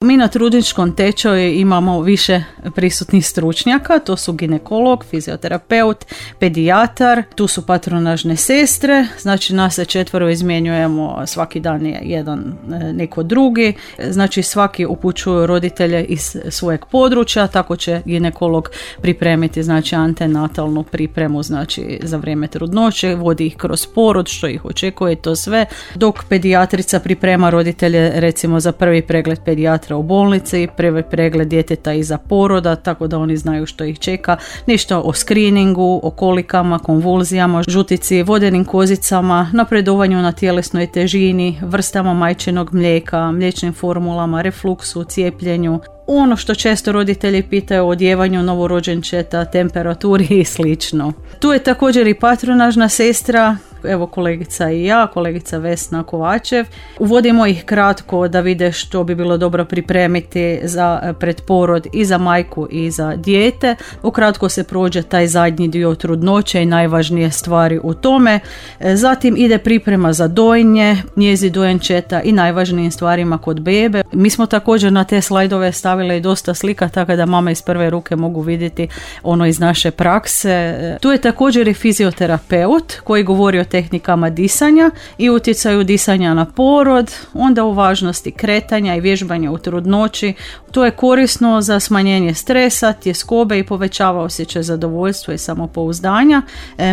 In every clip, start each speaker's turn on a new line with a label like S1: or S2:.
S1: Mi na trudničkom tečaju imamo više prisutnih stručnjaka, to su ginekolog, fizioterapeut, pedijatar, tu su patronažne sestre, znači nas se 4 izmjenjujemo, svaki dan je jedan neko drugi, znači svaki upućuju roditelje iz svojeg područja, tako će ginekolog pripremiti znači antenatalnu pripremu znači za vrijeme trudnoće, vodi ih kroz porod, što ih očekuje, to sve, dok pedijatrica priprema roditelje recimo za prvi pregled pedijatra u bolnici, prvi pregled djeteta iza poroda, tako da oni znaju što ih čeka, nešto o screeningu, o kolikama, konvulzijama, žutici, vodenim kozicama, napredovanju na tjelesnoj težini, vrstama majčinog mlijeka, mliječnim formulama, refluksu, cijepljenju. Ono što često roditelji pitaju o odjevanju novorođenčeta, temperaturi i slično. Tu je također i patronažna sestra, evo kolegica i ja, kolegica Vesna Kovačev. Uvodimo ih kratko da vide što bi bilo dobro pripremiti za predporod i za majku i za dijete. Ukratko se prođe taj zadnji dio trudnoće i najvažnije stvari u tome. Zatim ide priprema za dojenje, njezi dojenčeta i najvažnijim stvarima kod bebe. Mi smo također na te slajdove stavili i dosta slika, tako da mama iz prve ruke mogu vidjeti ono iz naše prakse. Tu je također i fizioterapeut koji govori o tehnikama disanja i utjecaju disanja na porod, onda o važnosti kretanja i vježbanja u trudnoći. To je korisno za smanjenje stresa, tjeskobe i povećava osjećaj zadovoljstva i samopouzdanja.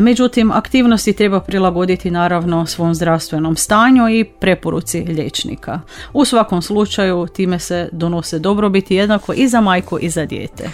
S1: Međutim, aktivnosti treba prilagoditi naravno svom zdravstvenom stanju i preporuci liječnika. U svakom slučaju time se donose dobrobiti jednako i za majku i za dijete.